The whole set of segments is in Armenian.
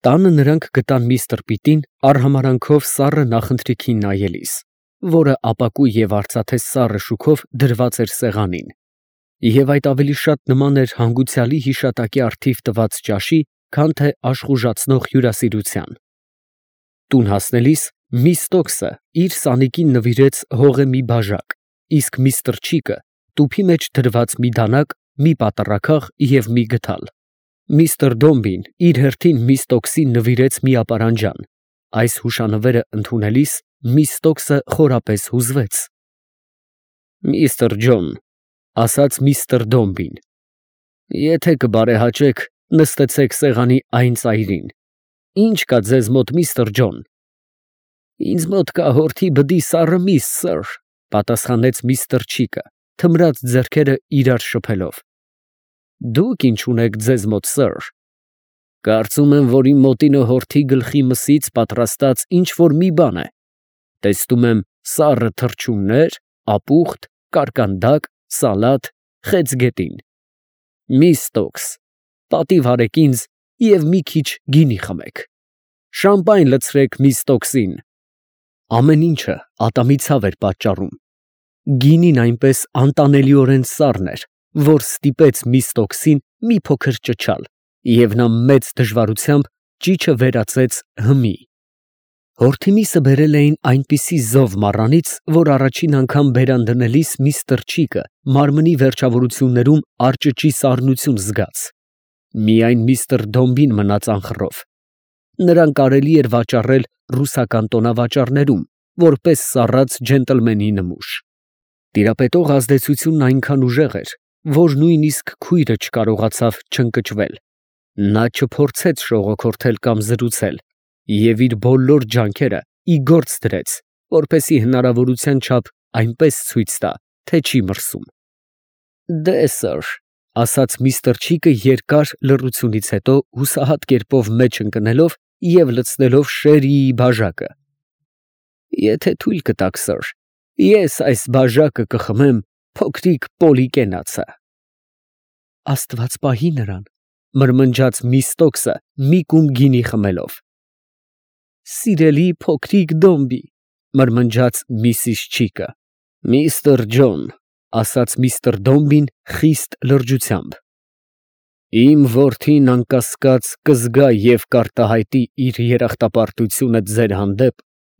Տանը նրանք գտան միստր Պիտին արհամարանքով սառը նախընթրիքին նայելիս, որը ապակու և արծաթե սառը շուքով դրված էր սեղանին, և այդ ավելի շատ նման էր հանգուցյալի հիշատակի առթիվ տված ճաշի, քան թե աշխուժացնող հյուրասիրության։ Տուն հասնելիս Միստոքսը իր սանիկին նվիրեց հողե մի բաժակ, իսկ միստր Չիկը տուփի մեջ դրված մի դանակ, մի պատառաքաղ և մի գդալ։ Միստր Դոմբին իր հերթին Միստոքսին նվիրեց մի ապարանջան։ Այս հուշանվերը ընդունելիս Միստոքսը խորապես հուզվեց։ «Միստր Ջոն, ֊ ասաց միստր Դոմբին, ֊ եթե կբարեհաճեք, նստեցեք սեղանի այն ծայրին։ Ի՞նչ կա ձեզ մոտ, միստր Ջոն»։ «Ինձ մոտ կա հորթի բդի սառը միս, սըր», ֊ պատասխանեց միստր Չիկը, թմրած ձեռքերը իրար շփելով։ «Դուք ինչ ունեք ձեզ մոտ, սըր»։ «Կարծում եմ, որ իմ մոտինը հորթի գլխի մսից պատրաստած ինչ֊որ մի բան է։ Տեսնում եմ սառը թռչուններ, ապուխտ, կարկանդակ, սալատ, խեցգետին։ Միստոքս, պատիվ արեք ինձ և մի քիչ գինի խմեք։ Շամպայն լցրեք Միստոքսին»։ Ամեն ինչը ատամի ցավ էր պատճառում։ Գինին այնպես անտանելիորեն սառն էր, որ ստիպեց Միստոքսին մի փոքր ճչալ, և նա մեծ դժվարությամբ ճիչը վերածեց հմի։ Հորթի միսը բերել էին այնպիսի զով մառանից, որ առաջին անգամ բերան դնելիս միստր Չիկը մարմնի վերջավորություններում արճճի սառնություն զգաց։ Միայն միստր Դոմբին մնաց անխռով։ Նրան կարելի էր վաճառել ռուսական տոնավաճառներում, որպես սառած ջենտլմենի նմուշ։ Տիրապետող ազդեցությունն այնքան ուժեղ էր, որ նույնիսկ քույրը չկարողացավ չընկճվել։ Նա չփորձեց շողոքորթել կամ զրուցել և իր բոլոր ջանքերը ի գործ դրեց, որպեսզի հնարավորության չափ այնպես ցույց տա, թե չի մրսում։ «Դե, սըր», ֊ ասաց միստր Չիկը երկար լռությունից հետո հուսահատ կերպով մեջ ընկնելով և լցնելով շերիի բաժակը։ «Եթե թույլ կտաք, սըր, ես այս բաժակը կխմեմ փոքրիկ Պոլիկենացը»։ «Աստված պահի նրան», ֊ մրմնջաց Միստոքսը մի կում գինի խմելով։ «Սիրելի փոքրիկ Դոմբի», ֊ մրմնջաց միսիս Չիկը։ «Միստր Ջոն», ֊ ասաց միստր Դոմբին խիստ լրջությամբ, ֊ իմ որդին անկասկած կզգա և կարտահայտի իր երախտապարտությունը ձեր հանդեպ,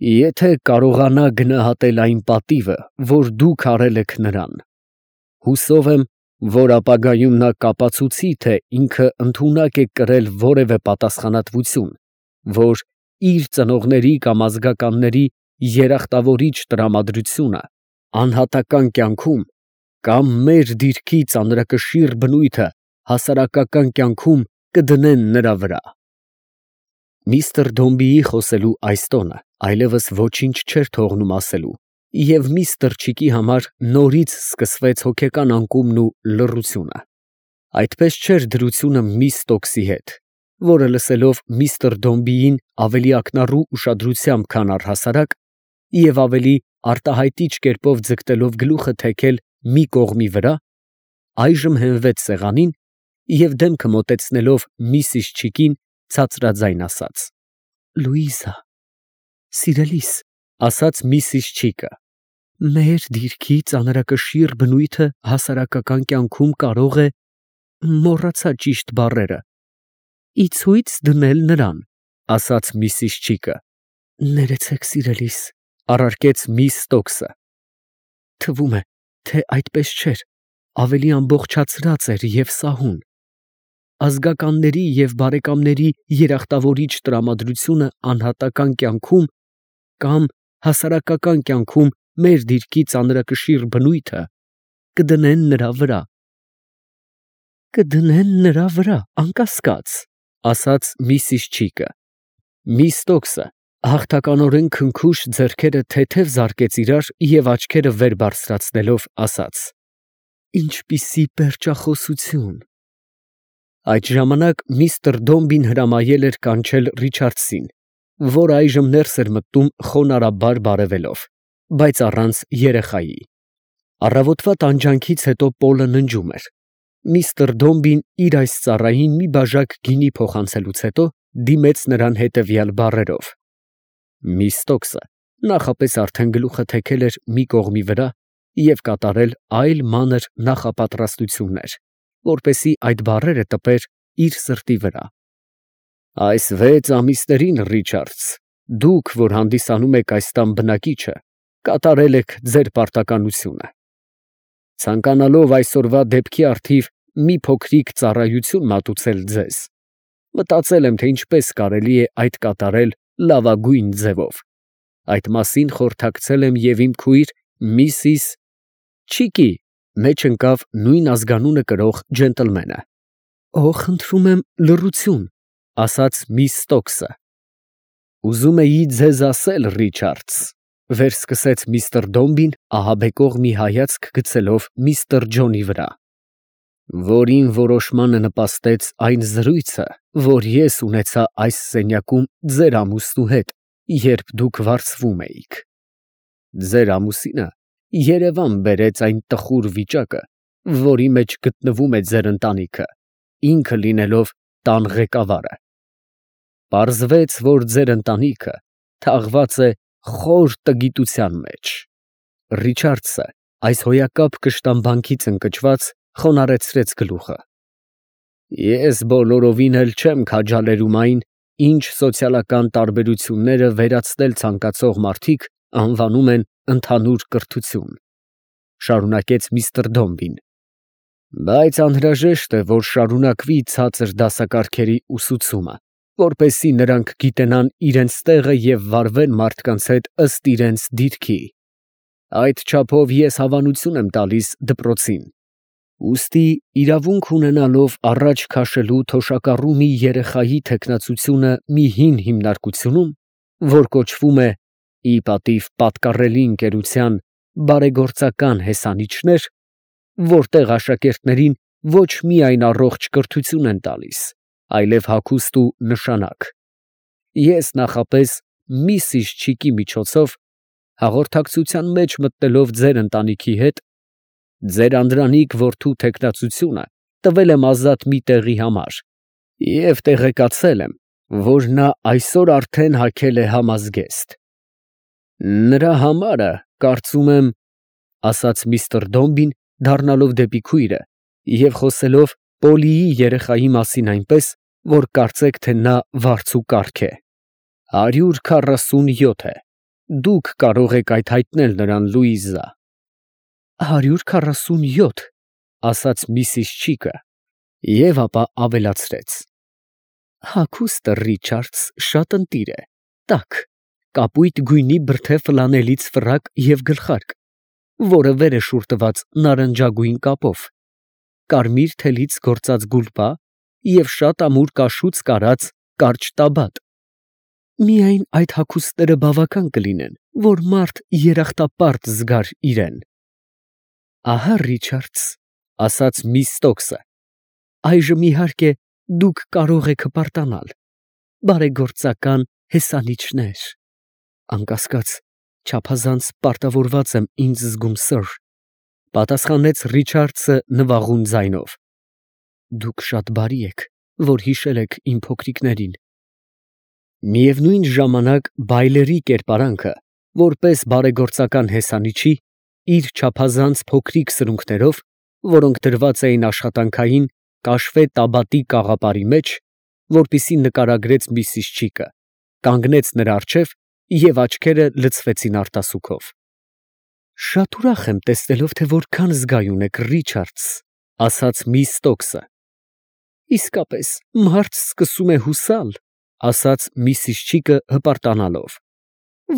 եթե կարողանա գնահատել այն պատիվը, որ դուք արել եք նրան։ Հուսով եմ, որ ապագայում նա կապացուցի, թե ինքը ընդունակ է կրել որևէ պատասխանատվություն, որ իր ծնողների կամ ազգականների երախտավորիչ տրամադրությունը անհատական կյանքում կամ մեր դիրքի ծանրակշիռ բնույթը հասարակական կյանքում կդնեն նրա վրա։ Միստր Դոմբիի խոսելու այս տոնը այլևս ոչինչ չէր թողնում ասելու, և միստր Չիկի համար նորից սկսվեց հոգեկան անկումն ու լռությունը։ Այդպես չէր դրությունը Միստոքսի հետ, որը լսելով միստր Դոմբիին ավելի ակնառու ուշադրությամբ, քան առհասարակ, և ավելի արտահայտիչ կերպով ձգտելով գլուխը թեքել մի կողմի վրա, այժմ հենվեց սեղանին և դեմքը մոտեցնելով միսիս Չիկին, ցածրաձայն ասաց. «Լուիզա, սիրելիս, ֊ ասաց միսիս Չիկը, ֊ մեր դիրքի ծանրակշիռ բնույթը հասարակական կյանքում կարող է, մոռացա ճիշտ բառերը, ի ցույց դնել նրան, ֊ ասաց միսիս Չիկը։ Ներեցեք, սիրելիս, ֊ առարկեց Միստոքսը։ Թվում է, թե այդպես չէր, ավելի ամբողջացրած էր և սահուն։ Ազգականների և բարեկամների երախտավորիչ տրամադրությունը անհատական կյանքում կամ հասարակական կյանքում մեր դիրքի ծանրակշիռ բնույթը կդնեն նրա վրա։ Կդնեն նրա վրա, անկասկած, ֊ ասաց միսիս Չիկը։ Միստոքսը հաղթականորեն քնքուշ ձեռքերը թեթև զարկեց իրար և աչքերը վեր բարձրացնելով ասաց. «Ինչպիսի պերճախոսություն»։ Այդ ժամանակ միստր Դոմբին հրամայել էր կանչել Ռիչարդսին, որ այժմ ներս էր մտնում խոնարհաբար բարևելով, բայց առանց երեխայի։ Առավոտվա տանջանքից հետո Պոլը ննջում էր։ Միստր Դոմբին իր այս ծառային մի բաժակ գինի փոխանցելուց հետո դիմեց նրան հետևյալ բառերով. Միստոքսը նախապես արդեն գլուխը թեքել էր մի կողմի վրա և կատարել այլ մանր նախապատրաստություններ, որպեսզի այդ բառերը տպեր իր սրտի վրա. Այս 6 ամիսներին, Ռիչարդս, դուք, որ հանդիսանում եք այս տան բնակիչը, կատարել եք ձեր պարտականությունը։ Ցանկանալով այսօրվա դեպքի առթիվ մի փոքրիկ ծառայություն մատուցել ձեզ, մտածել եմ, թե ինչպես կարելի է այդ կատարել լավագույն ձևով։ Այդ մասին խորհրդակցել եմ և իմ քույր Միսիս Չիկի, մեջ ընկավ նույն ազգանունը կրող ջենտլմենը։ Խնդրում եմ լռություն, ասաց միս Ստոքսը։ Ուզում էի ձեզ ասել, Ռիչարդս, վերսկսեց միստր Դոմբին ահաբեկող մի հայացք գցելով միստր Ջոնի վրա, որին որոշմանը նպաստեց այն զրույցը, որ ես ունեցա այս սենյակում ձեր ամուսնու հետ, երբ դուք վարձվում էիք։ Ձեր ամուսինը երևան բերեց այն տխուր վիճակը, որի մեջ գտնվում է ձեր ընտանիքը, ինքը լինելով տան ղեկավարը։ Պարզվեց, որ ձեր ընտանիքը թաղված է խոր տգիտության մեջ։ Ռիչարդսը այս հոյակապ կշտամբանքից ընկճված խոնարհեցրեց գլուխը։ Ես բոլորովին էլ չեմ քաջալերում այն, ինչ սոցիալական տարբերությունները վերացնել ցանկացող մարդիկ անվանում են ընդհանուր կրթություն, շարունակեց միստր Դոմբին, բայց անհրաժեշտ է, որ շարունակվի ցածր դասակարգերի ուսուցումը, որպեսզի նրանք գիտենան իրենց տեղը և վարվեն մարդկանց հետ ըստ իրենց դիրքի։ Այդ չափով ես հավանություն եմ տալիս դպրոցին։ Ուստի իրավունք ունենալով առաջ քաշելու թոշակառու մի երեխայի թեկնածությունը մի հին հիմնարկությունում, որ կոչվում է ի պատիվ պատկառելի ընկերության բարեգործական հեսանիչներ, որտեղ աշակերտներին ոչ միայն առողջ կրթություն են տալիս, այլև հագուստ ու նշանակ, ես նախապես Միսիս Չիկի միջոցով հաղորդակցության մեջ մտնելով ձեր ընտանիքի հետ, ձեր անդրանիկ որդու թեկնածությունը տվել եմ ազատ մի տեղի համար և տեղեկացել եմ, որ նա այսօր արդեն հագել է համազգեստ։ Նրա համարը, կարծում եմ, ասաց միստր Դոմբին, դառնալով դեպի քույրը և խոսելով Պոլիի երեխայի մասին այնպես, որ կարծեք, թե նա վարձու կառք է, 147 է, դուք կարող եք այդ հայտնել նրան, Լուիզա։ 147, ասաց միսիս Չիկը և ապա ավելացրեց. հագուստը, Ռիչարդս, շատ ընտիր է, տաք, կապույտ գույնի բրդե ֆլանելից ֆրակ և գլխարկ, որը վեր է շուրթված նարնջագույն կապով, կարմիր թելից գործած գուլպա և շատ ամուր կաշուց կարած կարճ տաբատ։ Միայն այդ հագուստները բավական կլինեն, որ մարդ երախտապարտ զգար իրեն։ Ահա, Ռիչարդս, ասաց միս Ստոքսը, այժմ իհարկե դուք կարող եք հպարտանալ, բարեգործական հեսանիչներ, անկասկած, չափազանց պարտավորված եմ ինձ զգում, սըր, պատասխանեց Ռիչարդսը նվաղուն ձայնով։ Դուք շատ բարի եք, որ հիշել եք իմ փոքրիկներին։ Միևնույն ժամանակ Բայլերի կերպարանքը, որպես բարեգործական հեսանիչի, իր չափազանց փոքրիկ սրունքներով, որոնք դրված էին աշխատանքային կաշվե տաբատի կաղապարի մեջ, որպիսի նկարագրեց միսիս Չիկը, կանգնեց նրա առջև և աչքերը լցվեցին արտասուքով։ Շատ ուրախ եմ տեսնելով, թե որքան զգայուն եք, Ռիչարդս, ասաց միս Ստոքսը։ Իսկապես, մարդ սկսում է հուսալ, ասաց միսիս Չիկը հպարտանալով,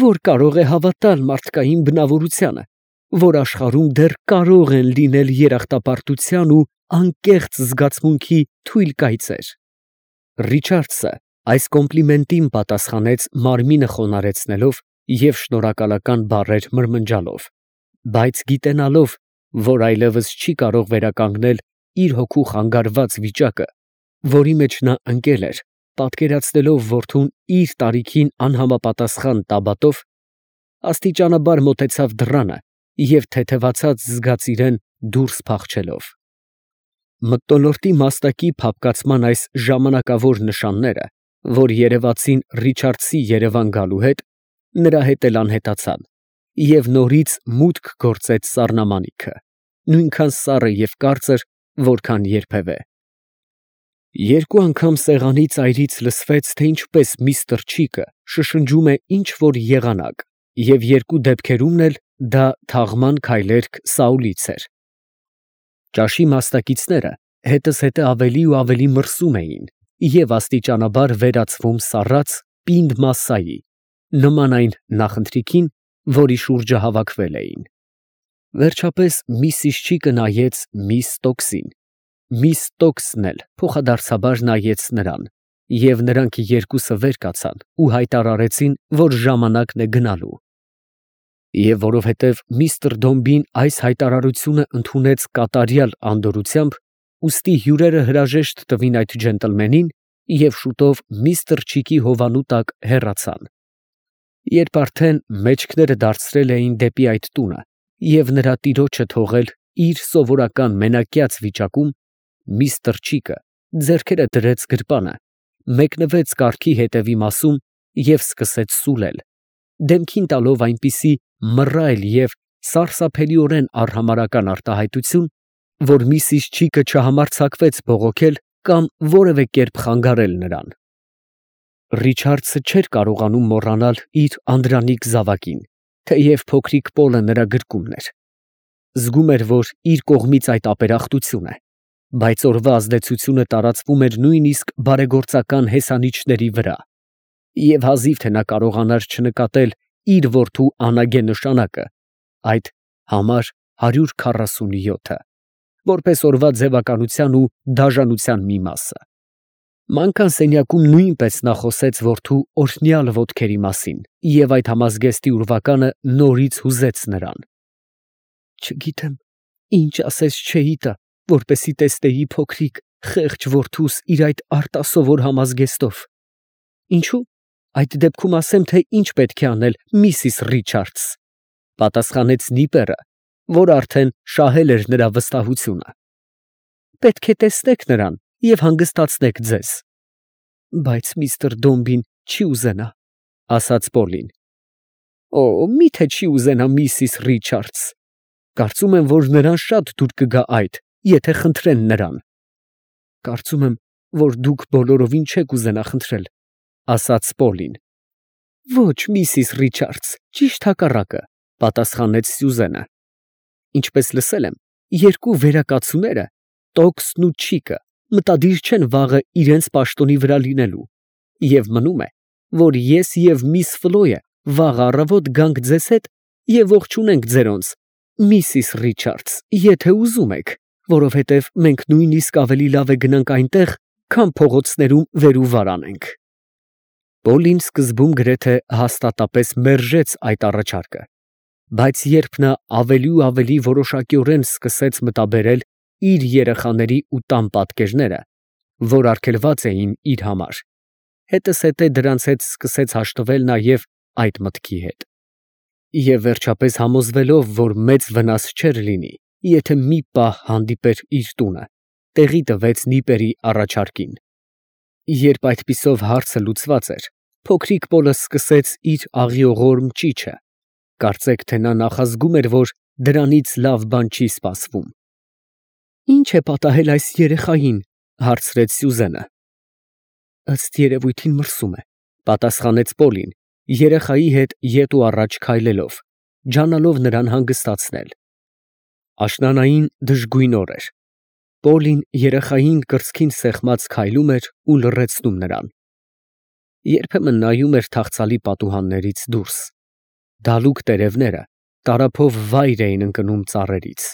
որ կարող է հավատալ մարդկային բնավորությանը, որ աշխարհում դեռ կարող են լինել երախտապարտության ու անկեղծ զգացմունքի թույլ կայծեր։ Ռիչարդսը այս կոմպլիմենտին պատասխանեց մարմինը խոնարհեցնելով և շնորհակալական բառեր մրմնջալով, բայց գիտենալով, որ այլևս չի կարող վերականգնել իր հոգու խանգարված վիճակը, որի մեջ նա ընկել էր, պատկերացնելով որդուն իր տարիքին անհամապատասխան տաբատով, աստիճանաբար մոտեցավ դռանը և թեթևացած զգաց իրեն դուրս փախչելով։ Մթնոլորտի մաստակի փափկացման այս ժամանակավոր նշանները որ երևացին Ռիչարդսի Երևան գալու հետ, նրա հետ էլ անհետացան, և նորից մուտք գործեց սառնամանիքը, նույնքան սառը և կարծր, որքան երբևէ։ Երկու անգամ սեղանի ծայրից լսվեց, թե ինչպես միստր Չիկը շշնջում է ինչ֊որ եղանակ, և երկու դեպքերումն էլ դա թաղման քայլերք Սաուլից էր։ Ճաշի մասնակիցները հետզհետե ավելի ու ավելի մրսում էին և աստիճանաբար վերածվում սառած, պինդ մասսայի, նման այն նախընթրիքին, որի շուրջը հավաքվել էին։ Վերջապես միսիս Չիկը նայեց միս Տոքսին, միս Տոքսն էլ փոխադարձաբար նայեց նրան, և նրանք երկուսը վեր կացան ու հայտարարեցին, որ ժամանակն է գնալու։ Եվ որովհետև միստր Դոմբին այս հայտարարությունը ընդունեց կատարյալ անդորրությամբ, ուստի հյուրերը հրաժեշտ տվին այդ ջենտլմենին և շուտով միստր Չիկի հովանու տակ հեռացան։ Երբ արդեն մեջքները դարձրել էին դեպի այդ տունը և նրա տիրոջը թողել իր սովորական մենակյաց վիճակում, միստր Չիկը ձեռքերը դրեց գրպանը, մեկնվեց կառքի հետևի մասում և սկսեց սուլել, դեմքին տալով այնպիսի մռայլ և սարսափելիորեն արհամարհական արտահայտություն, որ միսիս Չիկը չհամարձակվեց բողոքել կամ որևէ կերպ խանգարել նրան։ Ռիչարդսը չէր կարողանում մոռանալ իր անդրանիկ զավակին, թեև փոքրիկ Պոլը նրա գրկումն էր։ Զգում էր, որ իր կողմից այդ ապերախտություն է, բայց օրվա ազդեցությունը տարածվում էր նույնիսկ բարեգործական հեսանիչների վրա, և հազիվ թե նա կարողանար չնկատել իր որդու անագե նշանակը, այդ համար 147-ը, որպես օրվա ձևականության ու դաժանության մի մասը։ Մանկան սենյակում նույնպես նա խոսեց որդու օրհնյալ ոտքերի մասին, և այդ համազգեստի ուրվականը նորից հուզեց նրան։ Չգիտեմ, ինչ ասես չէի տա, որպեսզի տեսնեի փոքրիկ, խեղճ որդուս իր այդ արտասովոր համազգեստով։ Ինչո՞ւ, այդ դեպքում ասեմ, թե ինչ պետք է անել, միսիս Ռիչարդս, պատասխանեց նիպերը, որ արդեն շահել էր նրա վստահությունը։ Պետք է տեսնեք նրան և հանգստացնեք ձեզ։ Բայց միստր Դոմբին չի ուզենա, ասաց Պոլին։ Օ, մի՞թե չի ուզենա միսիս Ռիչարդս, կարծում եմ, որ նրան շատ դուր կգա այդ, եթե խնդրեն նրան։ Կարծում եմ, որ դուք բոլորովին չեք ուզենա խնդրել, ասաց Պոլին։ Ոչ, միսիս Ռիչարդս, ճիշտ հակառակը, պատասխանեց Սյուզենը։ Ինչպես լսել եմ, երկու վերակացուները, Տոքսն ու Չիկը, մտադիր չեն վաղը իրենց պաշտոնի վրա լինելու, և մնում է, որ ես և միս Ֆլոյը վաղ առավոտ գանք ձեզ հետ և ողջունենք ձերոնց, միսիս Ռիչարդս, եթե ուզում եք, որովհետև մենք նույնիսկ ավելի լավ է գնանք այնտեղ, քան փողոցներում վեր ու վար անենք։ Պոլին սկզբում գրեթե հաստատապես մերժեց այդ առաջարկը, բայց երբ նա ավելի ու ավելի որոշակիորեն սկսեց մտաբերել իր երեխաների ու տան պատկերները, որ արգելված էին իր համար, հետզհետե դրանց հետ սկսեց հաշտվել նաև այդ մտքի հետ։ Եվ վերջապես համոզվելով, որ մեծ վնաս չէր լինի, եթե մի պահ հանդիպեր իր տունը, տեղի տվեց նիպերի առաջարկին։ Երբ այդպիսով հարցը լուծված էր, փոքրիկ Պոլը սկսեց իր աղիողորմ ճիչը, կարծեք թե նա նախազգում էր, որ դրանից լավ բան չի սպասվում։ Ինչ է պատահել այս երեխային, հարցրեց Սյուզենը։ Ըստ երևույթին մրսում է, պատասխանեց Պոլին, երեխայի հետ ետ ու առաջ քայլելով, ջանալով նրան հանգստացնել։ Աշնանային դժգույն օր էր։ Պոլին երեխային կրծքին սեղմած քայլում էր ու լռեցնում նրան։ Երբեմն նայում էր թախծալի պատուհաններից դուրս։ Դալուկ տերևները տարափով վայր էին ընկնում ծառերից։